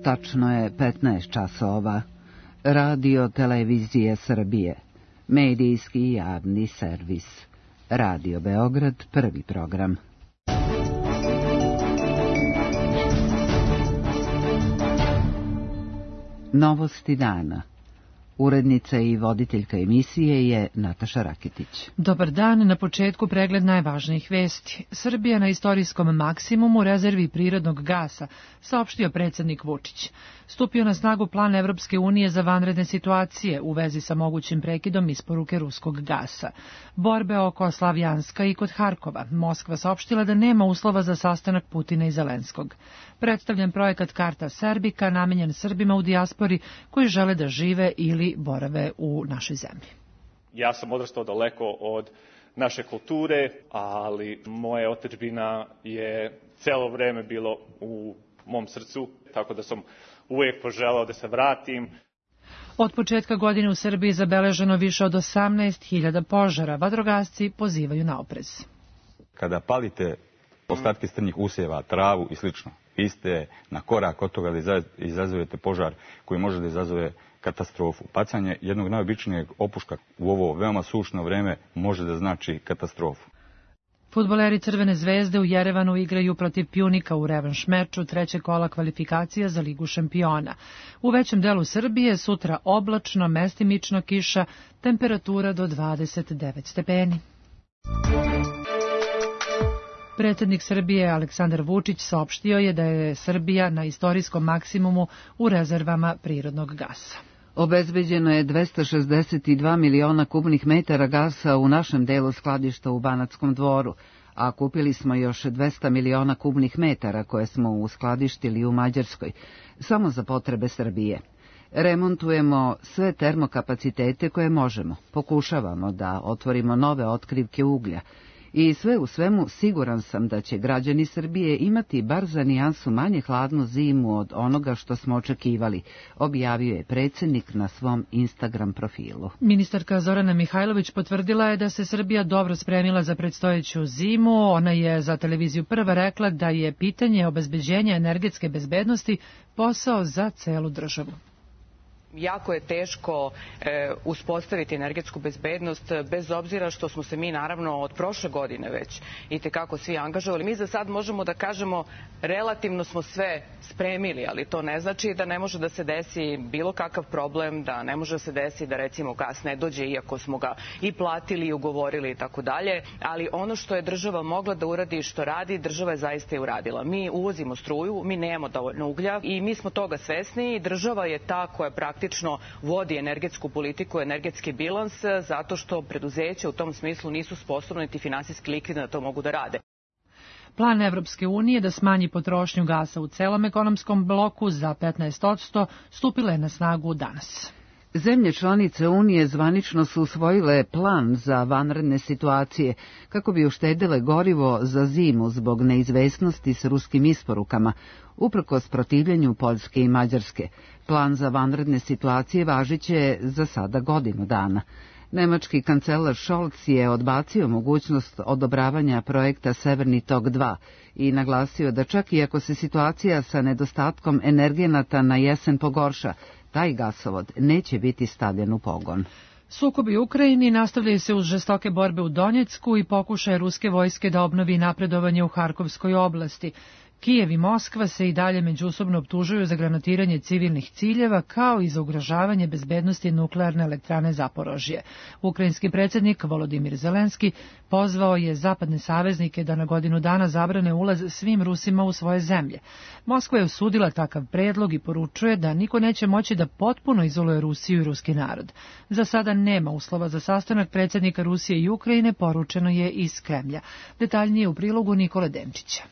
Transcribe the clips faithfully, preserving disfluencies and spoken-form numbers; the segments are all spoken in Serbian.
Tačno je petnaest časova. Radio Televizije Srbije. Medijski javni servis. Radio Beograd, prvi program. Novosti dana. Urednica i voditeljka emisije je Nataša Raketić. Dobar dan, na početku pregled najvažnijih vesti. Srbija na istorijskom maksimumu rezervi prirodnog gasa, saopštio predsjednik Vučić. Stupio na snagu plan Evropske unije za vanredne situacije u vezi sa mogućim prekidom isporuke ruskog gasa. Borbe oko Slavjanska i kod Harkova. Moskva saopštila da nema uslova za sastanak Putina i Zelenskog. Predstavljen projekat Karta Serbika namenjen Srbima u dijaspori koji žele da žive ili borave u našoj zemlji. Ja sam odrastao daleko od naše kulture, ali moja otadžbina je celo vreme bilo u mom srcu, tako da sam uvijek poželao da se vratim. Od početka godine u Srbiji zabeleženo više od osamnaest hiljada požara. Vatrogasci pozivaju na oprez. Kada palite ostatke strnjih usjeva, travu i slično, vi ste na korak od toga da izazovete požar koji može da izazove katastrofu. Pacanje jednog najobičnijeg opuška u ovo veoma sušno vreme može da znači katastrofu. Fudbaleri Crvene zvezde u Jerevanu igraju protiv Pjunika u revanš meču trećeg kola kvalifikacija za Ligu šampiona. U većem delu Srbije sutra oblačno, mestimično kiša, temperatura do dvadeset devet stepeni. Predsjednik Srbije Aleksandar Vučić saopštio je da je Srbija na istorijskom maksimumu u rezervama prirodnog gasa. Obezbeđeno je dvesta šezdeset dva miliona kubnih metara gasa u našem delu skladišta u Banatskom dvoru, a kupili smo još dvesta miliona kubnih metara koje smo uskladištili u Mađarskoj, samo za potrebe Srbije. Remontujemo sve termokapacitete koje možemo, pokušavamo da otvorimo nove otkrivke uglja, i sve u svemu siguran sam da će građani Srbije imati bar za nijansu manje hladnu zimu od onoga što smo očekivali, objavio je predsjednik na svom Instagram profilu. Ministarka Zorana Mihajlović potvrdila je da se Srbija dobro spremila za predstojeću zimu. Ona je za televiziju Prva rekla da je pitanje obezbeđenja energetske bezbednosti posao za celu državu. Jako je teško e, uspostaviti energetsku bezbednost, bez obzira što smo se mi naravno od prošle godine već itekako svi angažovali. Mi za sad možemo da kažemo relativno smo sve spremili, ali to ne znači da ne može da se desi bilo kakav problem, da ne može da se desi da recimo gas ne dođe iako smo ga i platili i ugovorili i tako dalje, ali ono što je država mogla da uradi i što radi, država je zaista i uradila. Mi uvozimo struju, mi nemamo dovoljno uglja i mi smo toga svesni i država je ta koja praktično praktično vodi energetsku politiku, energetski bilans, zato što preduzeća u tom smislu nisu sposobni niti finansijski likvidni da to mogu da rade. Plan Evropske unije da smanji potrošnju gasa u celom ekonomskom bloku za petnaest posto stupila je na snagu danas. Zemlje članice Unije zvanično su usvojile plan za vanredne situacije kako bi uštedile gorivo za zimu zbog neizvesnosti s ruskim isporukama, uprkos protivljenju Poljske i Mađarske. Plan za vanredne situacije važiće za sada godinu dana. Nemački kancelar Scholz je odbacio mogućnost odobravanja projekta Severni tok dva i naglasio da čak i ako se situacija sa nedostatkom energenata na jesen pogorša, taj gasovod neće biti stavljen u pogon. Sukobi u Ukrajini nastavljaju se uz žestoke borbe u Donjecku i pokušaje ruske vojske da obnovi napredovanje u Harkovskoj oblasti. Kijev i Moskva se i dalje međusobno optužuju za granatiranje civilnih ciljeva kao i za ugrožavanje bezbednosti nuklearne elektrane Zaporožje. Ukrajinski predsjednik Volodimir Zelenski pozvao je zapadne saveznike da na godinu dana zabrane ulaz svim Rusima u svoje zemlje. Moskva je osudila takav predlog i poručuje da niko neće moći da potpuno izoluje Rusiju i ruski narod. Za sada nema uslova za sastanak predsjednika Rusije i Ukrajine, poručeno je iz Kremlja. Detaljnije u prilogu Nikole Demčića.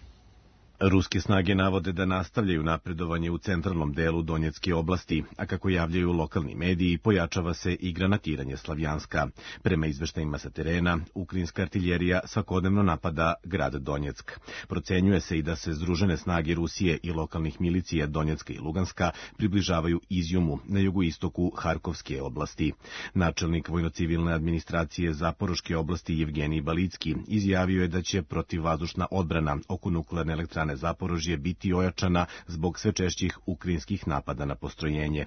Ruske snage navode da nastavljaju napredovanje u centralnom delu Donjecke oblasti, a kako javljaju lokalni mediji, pojačava se i granatiranje Slavjanska. Prema izveštajima sa terena, ukrajinska artiljerija svakodnevno napada grad Donjeck. Procenjuje se i da se združene snage Rusije i lokalnih milicija Donjecka i Luganska približavaju Izjumu na jugoistoku Harkovske oblasti. Načelnik vojno-civilne administracije Zaporoške oblasti Jevgenij Balicki izjavio je da će protivvazdušna odbrana oko nuklearne elektrane elektrane Zaporožje biti ojačana zbog sve češćih ukrajinskih napada na postrojenje.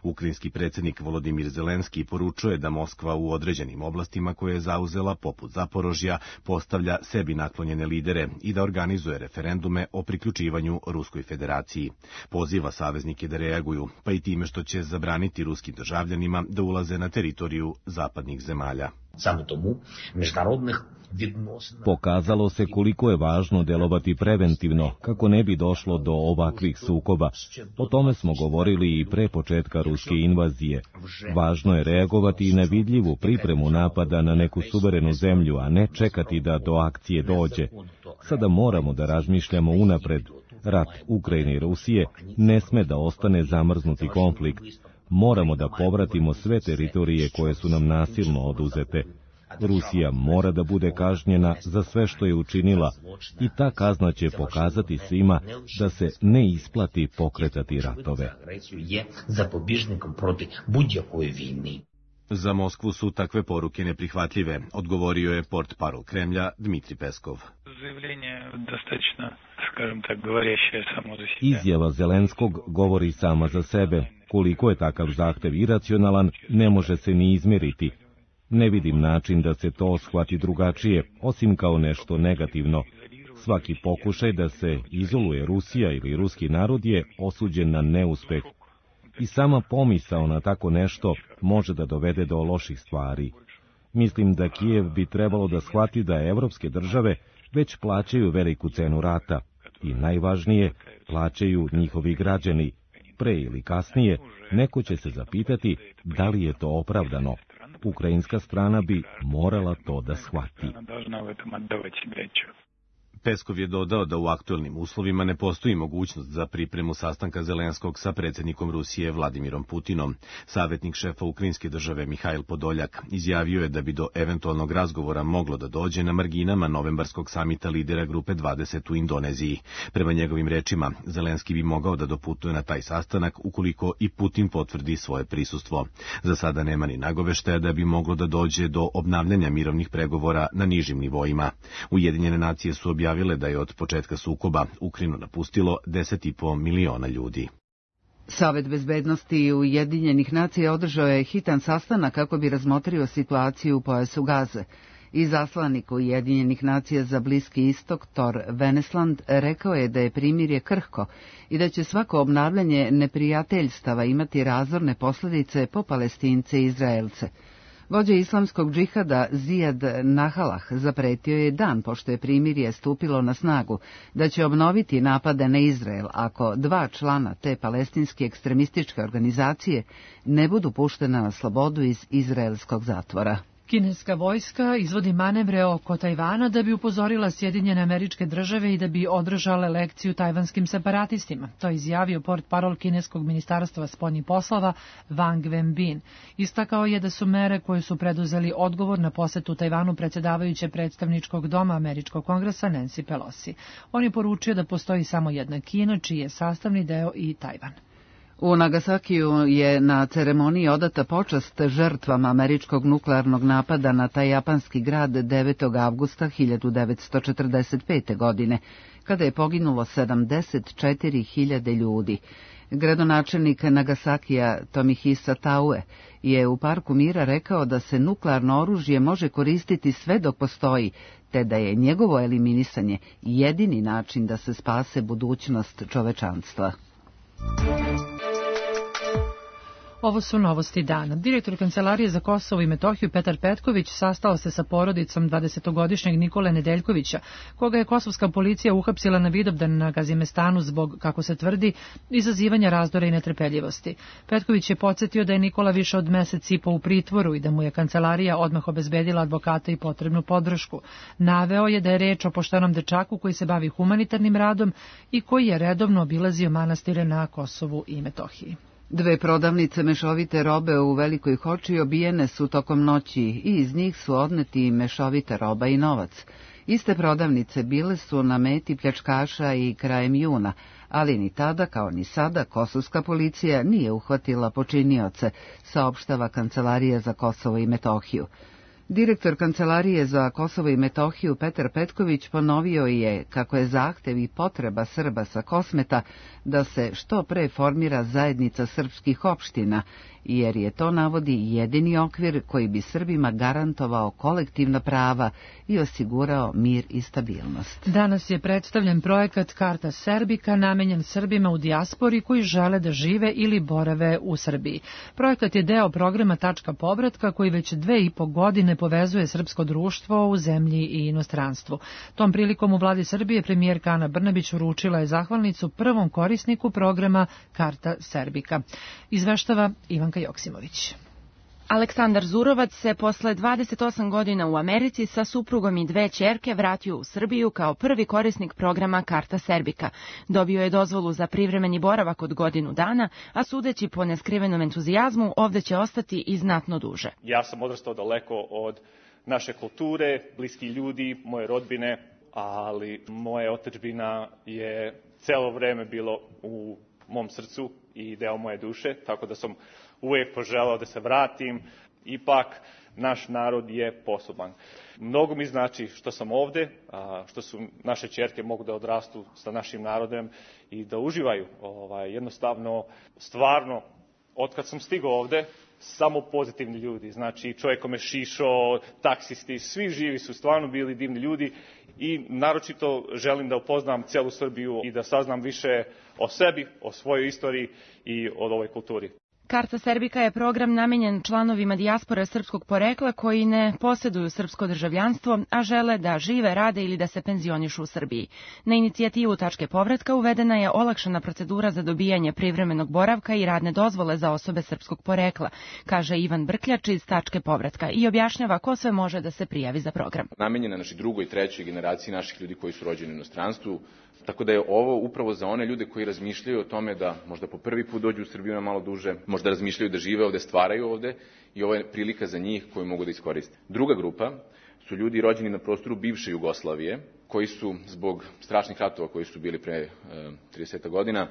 Ukrajinski predsjednik Volodimir Zelenski poručuje da Moskva u određenim oblastima koje je zauzela, poput Zaporožja, postavlja sebi naklonjene lidere i da organizuje referendume o priključivanju Ruskoj federaciji. Poziva saveznike da reaguju, pa i time što će zabraniti ruskim državljanima da ulaze na teritoriju zapadnih zemalja. Pokazalo se koliko je važno delovati preventivno, kako ne bi došlo do ovakvih sukoba. O tome smo govorili i pre početka ruske invazije. Važno je reagovati i na vidljivu pripremu napada na neku suverenu zemlju, a ne čekati da do akcije dođe. Sada moramo da razmišljamo unapred. Rat Ukrajine i Rusije ne sme da ostane zamrznuti konflikt. Moramo da povratimo sve teritorije koje su nam nasilno oduzete. Rusija mora da bude kažnjena za sve što je učinila i ta kazna će pokazati svima da se ne isplati pokretati ratove. Za Moskvu su takve poruke neprihvatljive, odgovorio je portparol Kremlja Dmitrij Peskov. Izjava Zelenskog govori sama za sebe. Koliko je takav zahtev iracionalan, ne može se ni izmjeriti. Ne vidim način da se to shvati drugačije, osim kao nešto negativno. Svaki pokušaj da se izoluje Rusija ili ruski narod je osuđen na neuspeh. I sama pomisao na tako nešto može da dovede do loših stvari. Mislim da Kijev bi trebalo da shvati da evropske države već plaćaju veliku cenu rata i najvažnije, plaćaju njihovi građani. Pre ili kasnije, neko će se zapitati da li je to opravdano. Ukrajinska strana bi morala to da shvati. Peskov je dodao da u aktuelnim uslovima ne postoji mogućnost za pripremu sastanka Zelenskog sa predsjednikom Rusije Vladimirom Putinom. Savjetnik šefa ukrajinske države Mihajl Podoljak izjavio je da bi do eventualnog razgovora moglo da dođe na marginama novembarskog samita lidera Grupe dvadeset u Indoneziji. Prema njegovim rečima, Zelenski bi mogao da doputuje na taj sastanak ukoliko i Putin potvrdi svoje prisustvo. Za sada nema ni nagoveštaja da bi moglo da dođe do obnavljanja mirovnih pregovora na nižim nivoima. Ujedinjene nacije su objavile da je od početka sukoba Ukrajinu napustilo deset i po miliona ljudi. Savet bezbednosti Ujedinjenih nacija održao je hitan sastanak kako bi razmotrio situaciju u pojasu Gaze. Izaslanik Ujedinjenih nacija za Bliski istok Thor Venesland rekao je da je primirje krhko i da će svako obnavljanje neprijateljstava imati razorne posljedice po Palestince i Izraelce. Vođa islamskog džihada Zijad Nahalah zapretio je dan pošto je primirje stupilo na snagu da će obnoviti napade na Izrael ako dva člana te palestinske ekstremističke organizacije ne budu puštena na slobodu iz izraelskog zatvora. Kineska vojska izvodi manevre oko Tajvana da bi upozorila Sjedinjene Američke Države i da bi održale lekciju tajvanskim separatistima. To je izjavio portparol kineskog ministarstva spoljnih poslova Wang Wenbin. Istakao je da su mere koje su preduzeli odgovor na posetu Tajvanu predsjedavajuće predstavničkog doma Američkog kongresa Nancy Pelosi. On je poručio da postoji samo jedna Kina, čiji je sastavni deo i Tajvan. U Nagasakiju je na ceremoniji odata počast žrtvama američkog nuklearnog napada na taj japanski grad devetog avgusta hiljadu devetsto četrdeset pete. godine, kada je poginulo sedamdeset četiri hiljade ljudi. Gradonačelnik Nagasakija Tomihisa Taue je u Parku mira rekao da se nuklearno oružje može koristiti sve dok postoji, te da je njegovo eliminisanje jedini način da se spase budućnost čovečanstva. Ovo su novosti dana. Direktor Kancelarije za Kosovo i Metohiju Petar Petković sastao se sa porodicom dvadesetogodišnjeg Nikole Nedeljkovića, koga je kosovska policija uhapsila na Vidovdan na Gazimestanu zbog, kako se tvrdi, izazivanja razdora i netrpeljivosti. Petković je podsjetio da je Nikola više od mesec i po u pritvoru i da mu je kancelarija odmah obezbedila advokata i potrebnu podršku. Naveo je da je reč o poštenom dečaku koji se bavi humanitarnim radom i koji je redovno obilazio manastire na Kosovu i Metohiji. Dve prodavnice mešovite robe u Velikoj Hoči obijene su tokom noći i iz njih su odneti mešovita roba i novac. Iste prodavnice bile su na meti pljačkaša i krajem juna, ali ni tada kao ni sada kosovska policija nije uhvatila počinioce, saopštava Kancelarija za Kosovo i Metohiju. Direktor Kancelarije za Kosovo i Metohiju Petar Petković ponovio je kako je zahtev i potreba Srba sa Kosmeta da se što pre formira zajednica srpskih opština, jer je to, navodi, jedini okvir koji bi Srbima garantovao kolektivna prava i osigurao mir i stabilnost. Danas je predstavljen projekat Karta Serbika namenjen Srbima u dijaspori koji žele da žive ili borave u Srbiji. Projekat je deo programa Tačka povratka koji već dve i po godine povezuje srpsko društvo u zemlji i inostranstvu. Tom prilikom u vladi Srbije premijerka Ana Brnabić uručila je zahvalnicu prvom korisniku programa Karta Serbika. Izveštava Ivanka Joksimović. Aleksandar Zurovac se posle dvadeset osam godina u Americi sa suprugom i dve ćerke vratio u Srbiju kao prvi korisnik programa Karta Serbika. Dobio je dozvolu za privremeni boravak od godinu dana, a sudeći po neskrivenom entuzijazmu, ovde će ostati i znatno duže. Ja sam odrastao daleko od naše kulture, bliski ljudi, moje rodbine, ali moja otadžbina je celo vreme bilo u mom srcu i deo moje duše, tako da sam uvijek poželao da se vratim. Ipak, naš narod je poseban. Mnogo mi znači što sam ovde, što su naše ćerke mogu da odrastu sa našim narodom i da uživaju. Ovaj, jednostavno, stvarno, otkad sam stigao ovde, samo pozitivni ljudi. Znači, čovjek me šišao, taksisti, svi živi su stvarno bili divni ljudi i naročito želim da upoznam celu Srbiju i da saznam više o sebi, o svojoj istoriji i o ovoj kulturi. Karta Serbika je program namenjen članovima dijaspore srpskog porekla koji ne posjeduju srpsko državljanstvo, a žele da žive, rade ili da se penzionišu u Srbiji. Na inicijativu Tačke povratka uvedena je olakšana procedura za dobijanje privremenog boravka i radne dozvole za osobe srpskog porekla, kaže Ivan Brkljač iz Tačke povratka i objašnjava ko sve može da se prijavi za program. Namenjena našoj drugoj i trećoj generaciji naših ljudi koji su rođeni u inostranstvu, tako da je ovo upravo za one ljude koji razmišljaju o tome da možda po prvi put dođu u Srbiju na malo duže, možda razmišljaju da žive ovde, stvaraju ovde i ovo je prilika za njih koju mogu da iskoriste. Druga grupa su ljudi rođeni na prostoru bivše Jugoslavije, koji su zbog strašnih ratova koji su bili pre trideset godina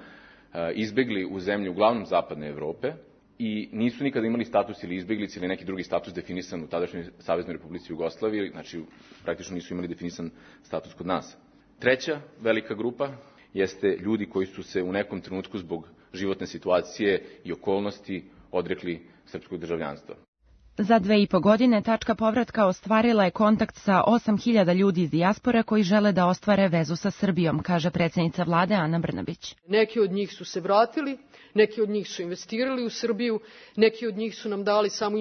izbegli u zemlju uglavnom zapadne Evrope i nisu nikada imali status ili izbeglice ili neki drugi status definisan u tadašnjoj Saveznoj Republici Jugoslaviji, znači praktično nisu imali definisan status kod nas. Treća velika grupa jeste ljudi koji su se u nekom trenutku zbog životne situacije i okolnosti odrekli srpskog državljanstva. Za dve i po godine Tačka povratka ostvarila je kontakt sa osam hiljada ljudi iz dijaspore koji žele da ostvare vezu sa Srbijom, kaže predsjednica vlade Ana Brnabić. Neki od njih su se vratili, neki od njih su investirali u Srbiju, neki od njih su nam dali samo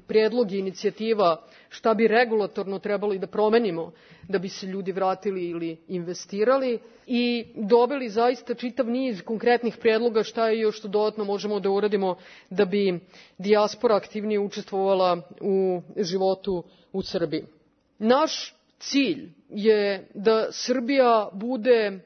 predlog i inicijativa šta bi regulatorno trebali da promenimo da bi se ljudi vratili ili investirali i dobili zaista čitav niz konkretnih predloga šta je još što dodatno možemo da uradimo da bi dijaspora aktivnije učestvovala u životu u Srbiji. Naš cilj je da Srbija bude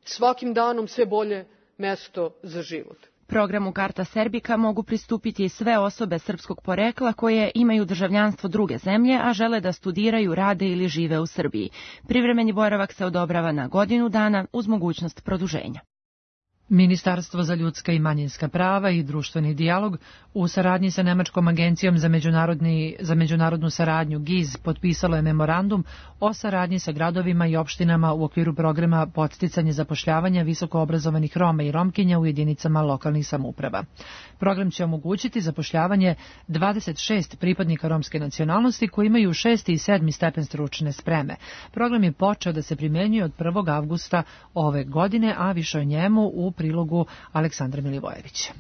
svakim danom sve bolje mesto za život. Programu Karta Serbika mogu pristupiti i sve osobe srpskog porekla koje imaju državljanstvo druge zemlje, a žele da studiraju, rade ili žive u Srbiji. Privremeni boravak se odobrava na godinu dana uz mogućnost produženja. Ministarstvo za ljudska i manjinska prava i društveni dijalog u saradnji sa Nemačkom agencijom za, međunarodni, za međunarodnu saradnju G I Z potpisalo je memorandum o saradnji sa gradovima i opštinama u okviru programa podsticanje zapošljavanja visokoobrazovanih Roma i Romkinja u jedinicama lokalnih samouprava. Program će omogućiti zapošljavanje dvadeset šest pripadnika romske nacionalnosti koji imaju šesti i sedmi stepen stručne spreme. Program je počeo da se primjenjuje od prvog avgusta ove godine, a više o njemu u prilogu Aleksandra Milivojevića.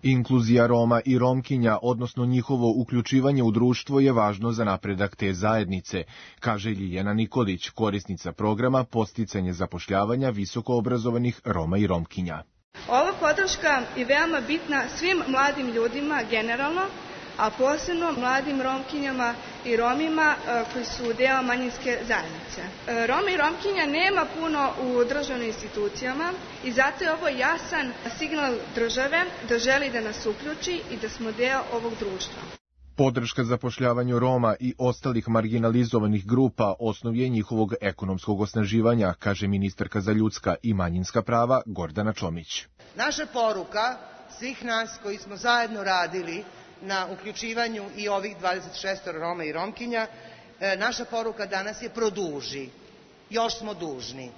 Inkluzija Roma i Romkinja, odnosno njihovo uključivanje u društvo, je važno za napredak te zajednice, kaže Ljiljana Nikolić, korisnica programa Podsticanje zapošljavanja visokoobrazovanih Roma i Romkinja. Ova podrška je veoma bitna svim mladim ljudima generalno, a posebno mladim Romkinjama i Romima koji su deo manjinske zajednice. Roma i Romkinja nema puno u državnim institucijama i zato je ovo jasan signal države da želi da nas uključi i da smo deo ovog društva. Podrška zapošljavanju Roma i ostalih marginalizovanih grupa osnov je njihovog ekonomskog osnaživanja, kaže ministarka za ljudska i manjinska prava Gordana Čomić. Naša poruka svih nas koji smo zajedno radili na uključivanju i ovih dvadeset šest Roma i Romkinja. Naša poruka danas je produži. Još smo dužni.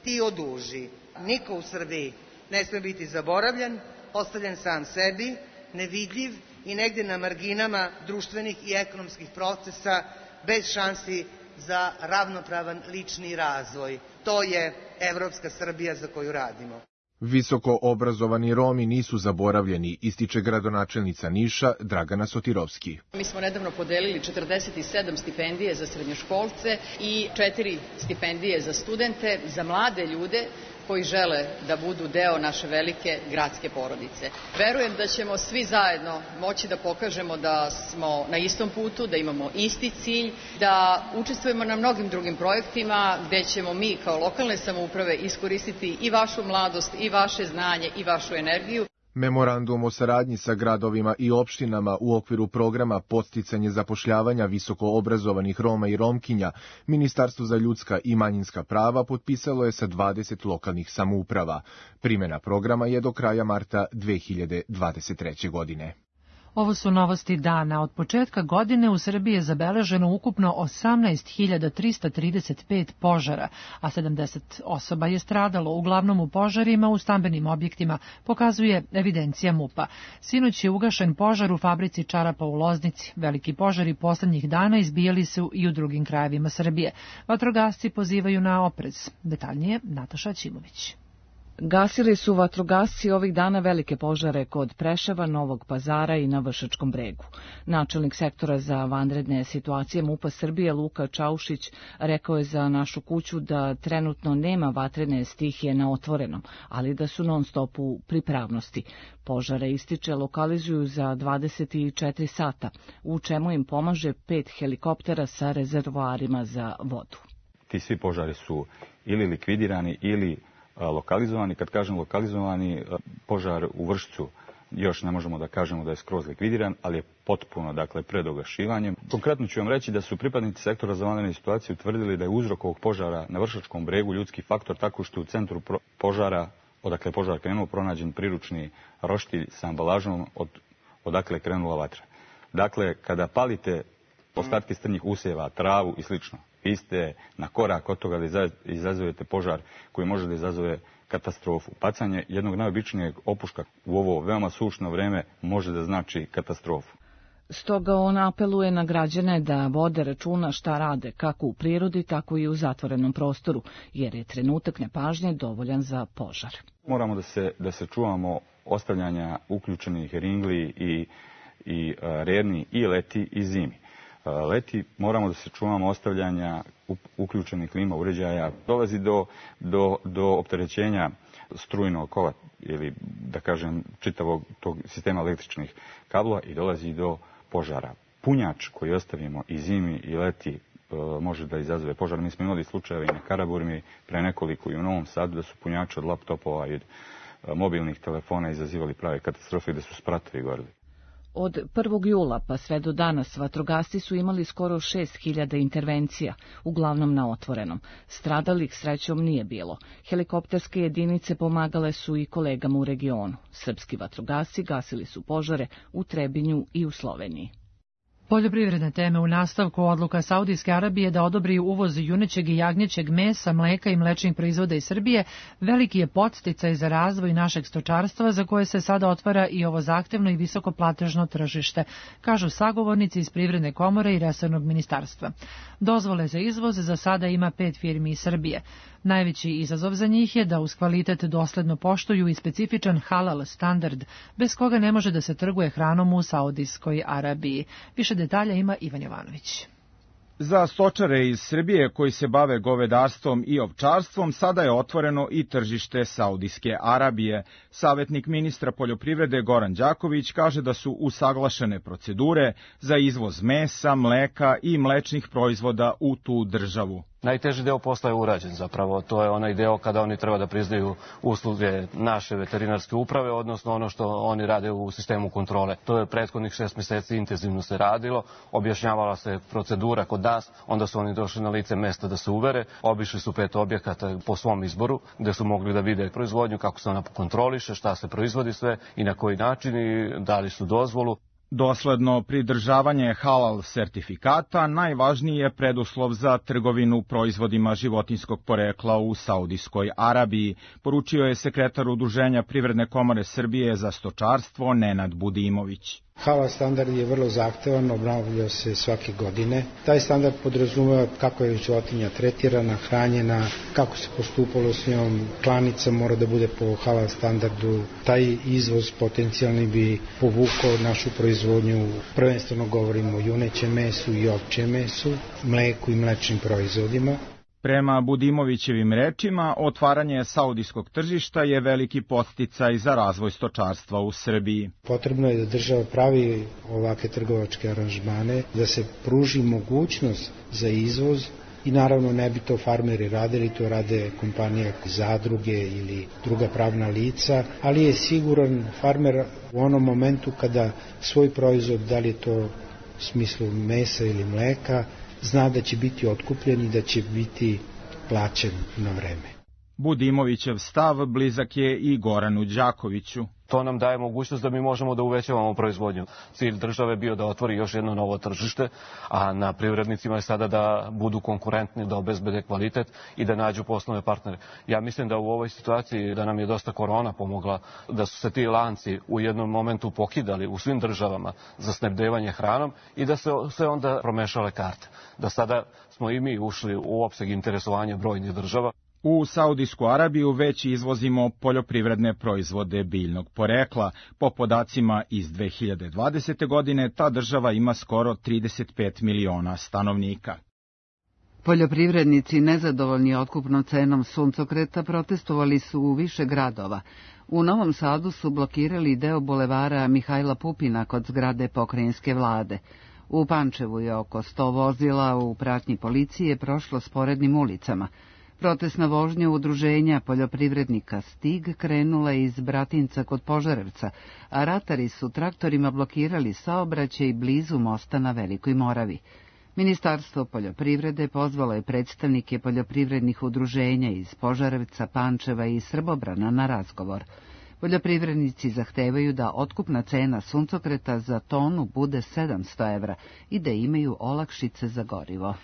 Ti oduži. Niko u Srbiji ne sme biti zaboravljen, ostavljen sam sebi, nevidljiv i negde na marginama društvenih i ekonomskih procesa bez šansi za ravnopravan lični razvoj. To je evropska Srbija za koju radimo. Visoko obrazovani Romi nisu zaboravljeni, ističe gradonačelnica Niša Dragana Sotirovski. Mi smo nedavno podelili četrdeset sedam stipendije za srednjoškolce i četiri stipendije za studente, za mlade ljude koji žele da budu deo naše velike gradske porodice. Verujem da ćemo svi zajedno moći da pokažemo da smo na istom putu, da imamo isti cilj, da učestvujemo na mnogim drugim projektima gde ćemo mi kao lokalne samouprave iskoristiti i vašu mladost, i vaše znanje, i vašu energiju. Memorandum o saradnji sa gradovima i opštinama u okviru programa Podsticanje zapošljavanja visoko obrazovanih Roma i Romkinja Ministarstvo za ljudska i manjinska prava potpisalo je sa dvadeset lokalnih samouprava. Primena programa je do kraja marta dve hiljade dvadeset treće. godine. Ovo su novosti dana. Od početka godine u Srbiji je zabeleženo ukupno osamnaest hiljada trista trideset pet požara, a sedamdeset osoba je stradalo, uglavnom u požarima u stambenim objektima, pokazuje evidencija MUP-a. Sinoć je ugašen požar u fabrici čarapa u Loznici. Veliki požari poslednjih dana izbijali su i u drugim krajevima Srbije. Vatrogasci pozivaju na oprez. Detaljnije Nataša Ćimović. Gasili su vatrogasci ovih dana velike požare kod Preševa, Novog Pazara i na Vršačkom bregu. Načelnik sektora za vanredne situacije MUP-a Srbije Luka Čaušić rekao je za Našu kuću da trenutno nema vatrene stihije na otvorenom, ali da su non stop u pripravnosti. Požare, ističe, lokalizuju za dvadeset četiri sata, u čemu im pomaže pet helikoptera sa rezervoarima za vodu. Ti svi požari su ili likvidirani ili lokalizovani. Kad kažem lokalizovani, požar u Vršcu još ne možemo da kažemo da je skroz likvidiran, ali je potpuno, dakle, pred ogašivanjem. Konkretno ću vam reći da su pripadnici sektora za vanredne situacije utvrdili da je uzrok ovog požara na Vršačkom bregu ljudski faktor, tako što u centru požara, odakle je požar krenuo, pronađen priručni roštilj sa ambalažom od, odakle je krenula vatra. Dakle, kada palite ostatke strnjih usjeva, travu i slično, vi ste na korak od toga da izazovete požar koji može da izazove katastrofu. Bacanje jednog najobičnijeg opuška u ovo veoma sušno vreme može da znači katastrofu. Stoga on apeluje na građane da vode računa šta rade, kako u prirodi, tako i u zatvorenom prostoru, jer je trenutak nepažnje dovoljan za požar. Moramo da se, da se čuvamo ostavljanja uključenih ringli i, i rerni i leti i zimi. Leti moramo da se čuvamo ostavljanja uključenih klima uređaja. Dolazi do, do, do opterećenja strujnog kova ili, da kažem, čitavog tog sistema električnih kablova i dolazi do požara. Punjač koji ostavimo i zimi i leti može da izazove požar. Mi smo imali slučajeve i na Karaburmi pre nekoliko i u Novom Sadu da su punjači od laptopova i od mobilnih telefona izazivali prave katastrofe gde su spratovi gorili. Od prvog jula pa sve do danas vatrogasci su imali skoro šest hiljada intervencija, uglavnom na otvorenom. Stradalih srećom nije bilo. Helikopterske jedinice pomagale su i kolegama u regionu. Srpski vatrogasci gasili su požare u Trebinju i u Sloveniji. Poljoprivredne teme u nastavku. Odluka Saudijske Arabije da odobri uvoz junećeg i jagnjećeg mesa, mleka i mlečnih proizvoda iz Srbije veliki je podsticaj za razvoj našeg stočarstva, za koje se sada otvara i ovo zahtevno i visoko platežno tržište, kažu sagovornici iz Privredne komore i resornog ministarstva. Dozvole za izvoz za sada ima pet firmi iz Srbije. Najveći izazov za njih je da uz kvalitet dosledno poštuju i specifičan halal standard, bez koga ne može da se trguje hranom u Saudijskoj Arabiji. Više detalja ima Ivan Jovanović. Za stočare iz Srbije koji se bave govedarstvom i ovčarstvom sada je otvoreno i tržište Saudijske Arabije. Savjetnik ministra poljoprivrede Goran Đaković kaže da su usaglašene procedure za izvoz mesa, mleka i mlečnih proizvoda u tu državu. Najteži deo posla je urađen zapravo, to je onaj deo kada oni treba da priznaju usluge naše veterinarske uprave, odnosno ono što oni rade u sistemu kontrole. To je prethodnih šest meseci intenzivno se radilo, objašnjavala se procedura kod nas, onda su oni došli na lice mesta da se uvere, obišli su pet objekata po svom izboru, gde su mogli da vide proizvodnju, kako se ona kontroliše, šta se proizvodi sve i na koji način i dali su dozvolu. Dosledno pridržavanje halal sertifikata najvažniji je preduslov za trgovinu proizvodima životinjskog porekla u Saudijskoj Arabiji, poručio je sekretar Udruženja Privredne komore Srbije za stočarstvo Nenad Budimović. Halal standard je vrlo zahtevan, obnavlja se svake godine. Taj standard podrazumeva kako je životinja tretirana, hranjena, kako se postupalo s njom, klanica mora da bude po halal standardu. Taj izvoz potencijalni bi povukao našu proizvodnju, prvenstveno govorimo o junećem mesu i ovčjem mesu, mleku i mlečnim proizvodima. Prema Budimovićevim rečima, otvaranje saudijskog tržišta je veliki podsticaj za razvoj stočarstva u Srbiji. Potrebno je da država pravi ovake trgovačke aranžmane, da se pruži mogućnost za izvoz i naravno ne bi to farmeri radili, to rade kompanije, zadruge ili druga pravna lica, ali je siguran farmer u onom momentu kada svoj proizvod, da li je to u smislu mesa ili mleka, zna da će biti otkupljen i da će biti plaćen na vreme. Budimovićev stav blizak je i Goranu Đakoviću. To nam daje mogućnost da mi možemo da uvećavamo proizvodnju. Cilj države bio da otvori još jedno novo tržište, a na privrednicima je sada da budu konkurentni, da obezbede kvalitet i da nađu poslovne partnere. Ja mislim da u ovoj situaciji da nam je dosta korona pomogla, da su se ti lanci u jednom momentu pokidali u svim državama za snabdevanje hranom i da se sve onda promešale karte. Da sada smo i mi ušli u opseg interesovanja brojnih država. U Saudijsku Arabiju već izvozimo poljoprivredne proizvode biljnog porekla. Po podacima iz dve hiljade dvadesete. godine ta država ima skoro trideset pet miliona stanovnika. Poljoprivrednici nezadovoljni otkupnom cenom suncokreta protestovali su u više gradova. U Novom Sadu su blokirali deo bulevara Mihajla Pupina kod zgrade pokrajinske vlade. U Pančevu je oko sto vozila u pratnji policije prošlo sporednim ulicama. Protestna vožnja udruženja poljoprivrednika Stig krenula iz Bratinca kod Požarevca, a ratari su traktorima blokirali saobraćaj blizu mosta na Velikoj Moravi. Ministarstvo poljoprivrede pozvalo je predstavnike poljoprivrednih udruženja iz Požarevca, Pančeva i Srbobrana na razgovor. Poljoprivrednici zahtevaju da otkupna cena suncokreta za tonu bude sedamsto evra i da imaju olakšice za gorivo.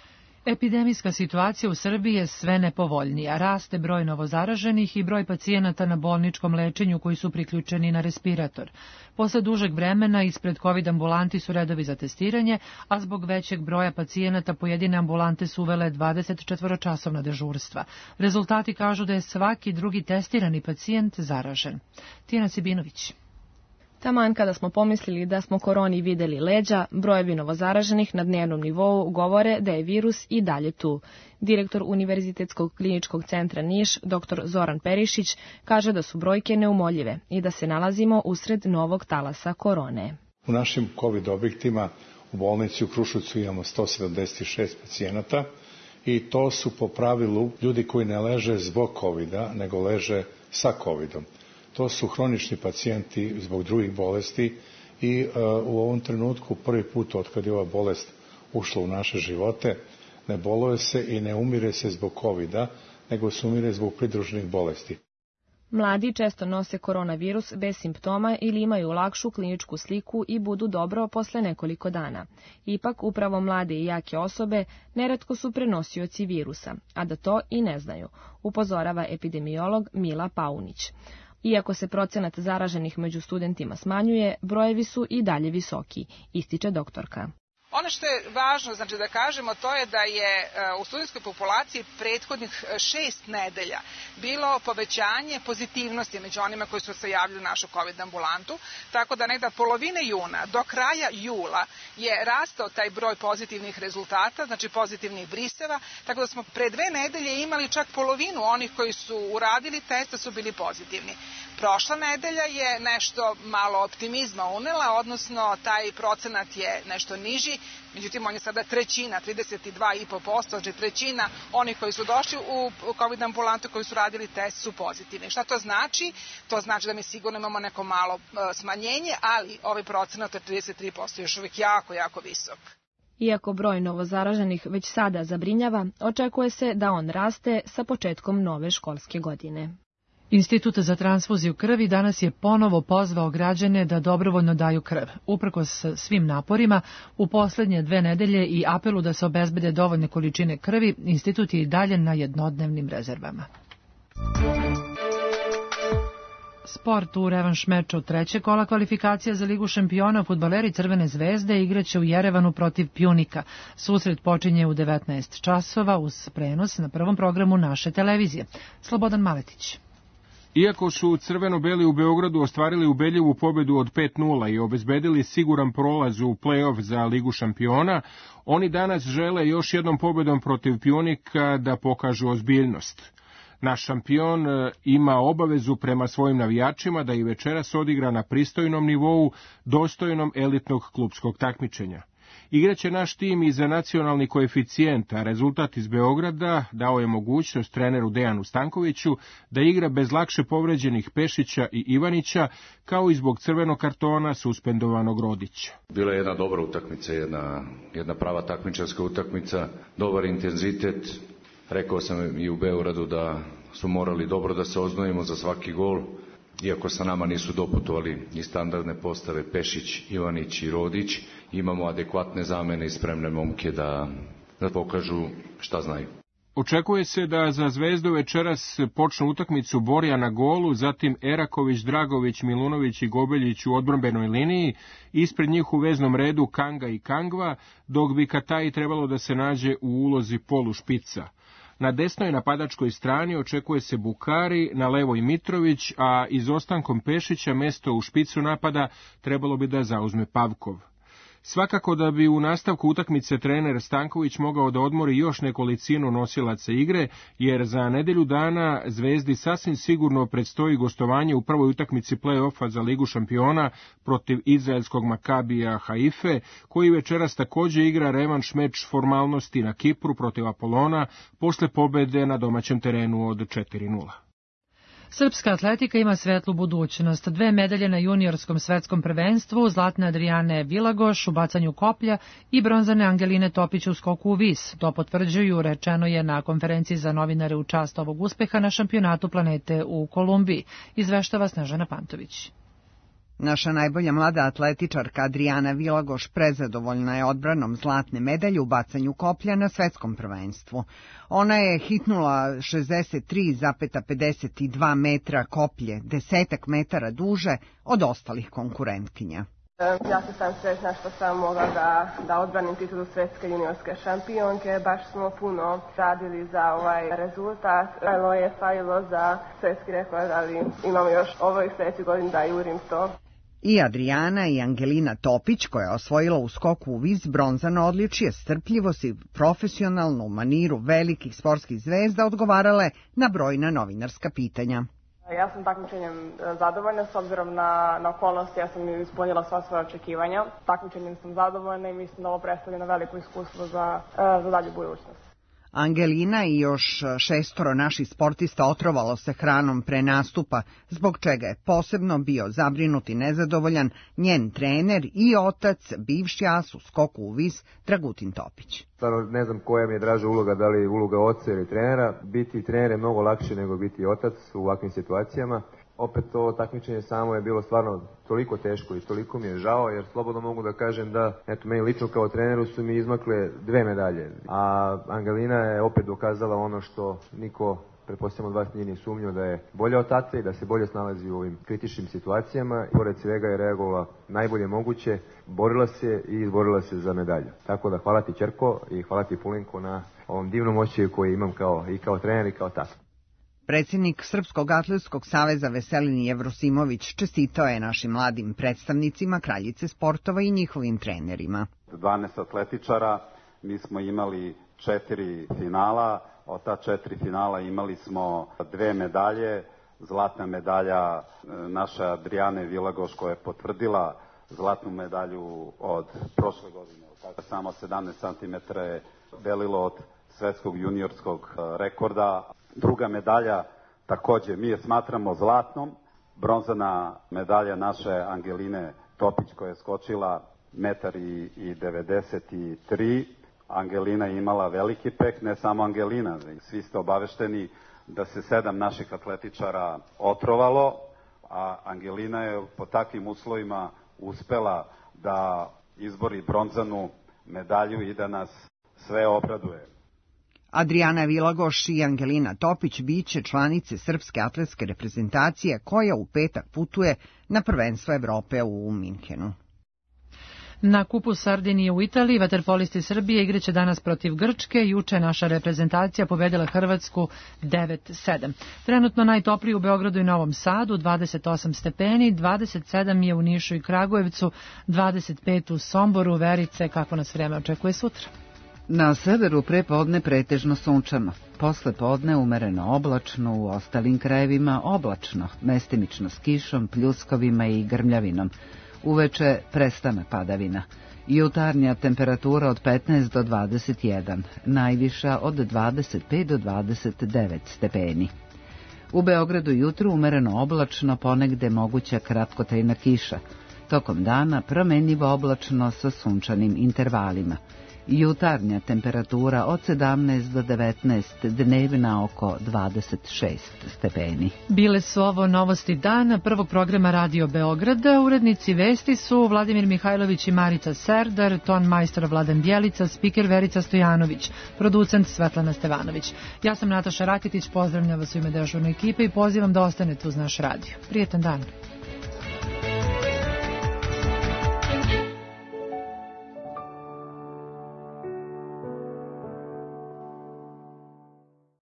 Epidemijska situacija u Srbiji je sve nepovoljnija. Raste broj novozaraženih i broj pacijenata na bolničkom lečenju koji su priključeni na respirator. Posle dužeg vremena ispred COVID ambulanti su redovi za testiranje, a zbog većeg broja pacijenata pojedine ambulante su uvele dvadesetčetvoročasovna dežurstva. Rezultati kažu da je svaki drugi testirani pacijent zaražen. Tijana Sibinović. Taman kada smo pomislili da smo koroni videli leđa, brojevi novozaraženih na dnevnom nivou govore da je virus i dalje tu. Direktor Univerzitetskog kliničkog centra Niš, dr Zoran Perišić, kaže da su brojke neumoljive i da se nalazimo usred novog talasa korone. U našim COVID objektima u bolnici u Kruševcu imamo sto sedamdeset šest pacijenata i to su po pravilu ljudi koji ne leže zbog kovida, nego leže sa covidom. To su hronični pacijenti zbog drugih bolesti i uh, u ovom trenutku prvi put od kad je ova bolest ušla u naše živote ne boluje se i ne umire se zbog kovida, nego se umire zbog pridruženih bolesti. Mladi često nose koronavirus bez simptoma ili imaju lakšu kliničku sliku i budu dobro posle nekoliko dana. Ipak, upravo mlade i jake osobe neretko su prenosioci virusa, a da to i ne znaju, upozorava epidemiolog Mila Paunić. Iako se procenat zaraženih među studentima smanjuje, brojevi su i dalje visoki, ističe doktorka. Ono što je važno znači da kažemo to je da je u studentskoj populaciji prethodnih šest nedelja bilo povećanje pozitivnosti među onima koji su se javili u našu COVID ambulantu, tako da negda polovine juna do kraja jula je rastao taj broj pozitivnih rezultata, znači pozitivnih briseva, tako da smo pre dve nedelje imali čak polovinu onih koji su uradili test da su bili pozitivni. Prošla nedelja je nešto malo optimizma unela, odnosno taj procenat je nešto niži, međutim on je sada trećina, trideset dva i po posto, znači trećina onih koji su došli u COVID ambulantu koji su radili test su pozitivni. Šta to znači? To znači da mi sigurno imamo neko malo smanjenje, ali ovaj procenat od trideset tri posto je još uvijek jako, jako visok. Iako broj novozaraženih već sada zabrinjava, očekuje se da on raste sa početkom nove školske godine. Institut za transfuziju krvi danas je ponovo pozvao građane da dobrovoljno daju krv. Uprkos svim naporima, u poslednje dve nedelje i apelu da se obezbede dovoljne količine krvi, institut je i dalje na jednodnevnim rezervama. Sport u revanš meču trećeg kola kvalifikacija za Ligu šampiona, fudbaleri Crvene zvezde igraće u Jerevanu protiv Pjunika. Susret počinje u devetnaest časova uz prenos na prvom programu naše televizije. Slobodan Maletić. Iako su crveno-beli u Beogradu ostvarili ubedljivu pobedu od pet nula i obezbedili siguran prolaz u plej-of za Ligu šampiona, oni danas žele još jednom pobedom protiv Pjunika da pokažu ozbiljnost. Naš šampion ima obavezu prema svojim navijačima da i večeras odigra na pristojnom nivou, dostojnom elitnog klupskog takmičenja. Igraće naš tim i za nacionalni koeficijent, a rezultat iz Beograda dao je mogućnost treneru Dejanu Stankoviću da igra bez lakše povređenih Pešića i Ivanića, kao i zbog crvenog kartona suspendovanog Rodića. Bila je jedna dobra utakmica, jedna, jedna prava takmičarska utakmica, dobar intenzitet. Rekao sam i u Beogradu da su morali dobro da se oznojimo za svaki gol, iako sa nama nisu doputovali i standardne postave Pešić, Ivanić i Rodić. Imamo adekvatne zamene i spremne momke da, da pokažu šta znaju. Očekuje se da za Zvezdu večeras počnu utakmicu Borja na golu, zatim Eraković, Dragović, Milunović i Gobeljić u odbrambenoj liniji, ispred njih u veznom redu Kanga i Kangva, dok bi Kataji trebalo da se nađe u ulozi polu špica. Na desnoj napadačkoj strani očekuje se Bukari, na levoj Mitrović, a izostankom Pešića mesto u špicu napada trebalo bi da zauzme Pavkov. Svakako da bi u nastavku utakmice trener Stanković mogao da odmori još nekolicinu nosilaca igre, jer za nedelju dana Zvezdi sasvim sigurno predstoji gostovanje u prvoj utakmici play-offa za Ligu šampiona protiv izraelskog Makabija Haife, koji večeras takođe igra revanš meč formalnosti na Kipru protiv Apolona posle pobede na domaćem terenu od četiri nula. Srpska atletika ima svetlu budućnost. Dve medalje na juniorskom svetskom prvenstvu, zlatne Adrijane Vilagoš u bacanju koplja i bronzane Angeline Topić u skoku u vis. To potvrđuju, rečeno je na konferenciji za novinare u čast ovog uspeha na šampionatu planete u Kolumbiji, izveštava Snežana Pantović. Naša najbolja mlada atletičarka Adrijana Vilagoš prezadovoljna je odbranom zlatne medalje u bacanju koplja na svetskom prvenstvu. Ona je hitnula šezdeset tri zarez pedeset dva metra koplje, desetak metara duže od ostalih konkurentkinja. Ja se sam sretna što sam mogla da, da odbranim titulu svetske juniorske šampionke. Baš smo puno radili za ovaj rezultat. Malo je falilo za svetski rekord, ali imamo još ovoj sljedećoj godini da jurim to. I Adrijana i Angelina Topić, koja je osvojila u skoku u vis bronzano odličje, strpljivost i profesionalno u maniru velikih sportskih zvezda odgovarale na brojna novinarska pitanja. Ja sam takmičenjem zadovoljna s obzirom na, na okolnosti, ja sam ispunila sva svoja očekivanja. Takmičenjem sam zadovoljna i mislim da ovo predstavlja veliko iskustvo za, za dalju budućnost. Angelina i još šestoro naših sportista otrovalo se hranom pre nastupa, zbog čega je posebno bio zabrinut i nezadovoljan njen trener i otac, bivši as u skoku u vis, Dragutin Topić. Stvarno ne znam koja mi je draža uloga, da li uloga oca ili trenera. Biti trener je mnogo lakše nego biti otac u ovakvim situacijama. Opet to takmičenje samo je bilo stvarno toliko teško i toliko mi je žao, jer slobodno mogu da kažem da, eto, meni lično kao treneru su mi izmakle dve medalje. A Angelina je opet dokazala ono što niko, pretpostavljamo od vas, nije ni sumnjao, da je bolja od tate i da se bolje snalazi u ovim kritičnim situacijama. I pored svega je reagovala najbolje moguće, borila se i izborila se za medalju. Tako da hvala ti, ćerko, i hvala ti, Pulinko, na ovom divnom osjećaju koji imam kao, i kao trener i kao tata. Predsjednik Srpskog atletskog saveza Veselin Jevrosimović čestitao je našim mladim predstavnicima kraljice sportova i njihovim trenerima. dvanaest atletičara, mi smo imali četiri finala, od ta četiri finala imali smo dve medalje, zlatna medalja naše Adrijane Vilagoš koja je potvrdila zlatnu medalju od prošle godine, samo sedamnaest centimetara je delilo od svetskog juniorskog rekorda. Druga medalja takođe mi je smatramo zlatnom, bronzana medalja naše Angeline Topić koja je skočila metar i devedeset tri. Angelina je imala veliki peh, ne samo Angelina, svi ste obavešteni da se sedam naših atletičara otrovalo, a Angelina je po takvim uslovima uspela da izbori bronzanu medalju i da nas sve obraduje. Adriana Vilagoš i Angelina Topić biće članice srpske atletske reprezentacije koja u petak putuje na prvenstvo Evrope u Minhenu. Na kupu Sardinije u Italiji vaterpolisti Srbije igraće danas protiv Grčke. Juče naša reprezentacija pobedila Hrvatsku devet sedam. Trenutno najtopliji u Beogradu i Novom Sadu, dvadeset osam stepeni, dvadeset sedam je u Nišu i Kragujevcu, dvadeset pet u Somboru. Verice, kako nas vreme očekuje sutra? Na severu pre podne pretežno sunčano, posle podne umereno oblačno, u ostalim krajevima oblačno, mestimično s kišom, pljuskovima i grmljavinom. Uveče prestane padavina. Jutarnja temperatura od petnaest do dvadeset jedan, najviša od dvadeset pet do dvadeset devet stepeni. U Beogradu jutro umereno oblačno, ponegde moguća kratkotrajna kiša. Tokom dana promenljivo oblačno sa sunčanim intervalima. Jutarnja temperatura od sedamnaest do devetnaest, dnevna oko dvadeset šest stepeni. Bile su ovo novosti dana prvog programa Radio Beograda. Urednici vesti su Vladimir Mihajlović i Marica Serdar, ton majstor Vladan Bjelica, spiker Verica Stojanović, producent Svetlana Stevanović. Ja sam Nataša Raketić, pozdravljam vas u ime dežurne ekipe i pozivam da ostanete uz naš radio. Prijetan dan.